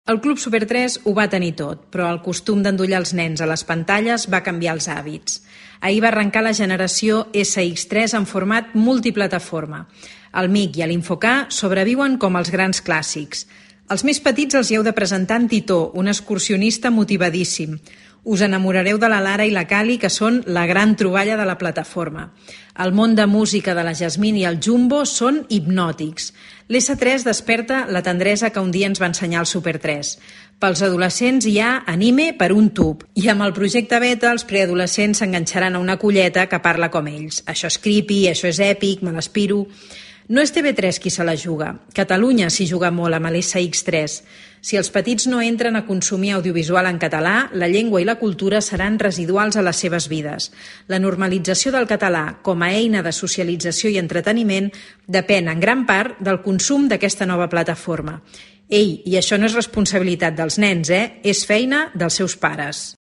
El Club Super 3 ho va tenir tot, però el costum d'endollar els nens a les pantalles va canviar els hàbits. Ahir va arrencar la generació SX3 en format multiplataforma. El MIC i l'Infocar sobreviuen com els grans clàssics. Els més petits els hi heu de presentar en Titó, un excursionista motivadíssim. Us enamorareu de la Lara i la Cali, que són la gran troballa de la plataforma. El món de música de la Jasmine i el Jumbo són hipnòtics. L'S3 desperta la tendresa que un dia ens va ensenyar el Super 3. Pels adolescents hi ha anime per un tub. I amb el projecte Beta els preadolescents s'enganxaran a una colleta que parla com ells. Això és creepy, això és èpic, me l'aspiro. No és TV3 qui se la juga. Catalunya s'hi juga molt amb l'SX3. Si els petits no entren a consumir audiovisual en català, la llengua i la cultura seran residuals a les seves vides. La normalització del català com a eina de socialització i entreteniment depèn en gran part del consum d'aquesta nova plataforma. Ei, i això no és responsabilitat dels nens, És feina dels seus pares.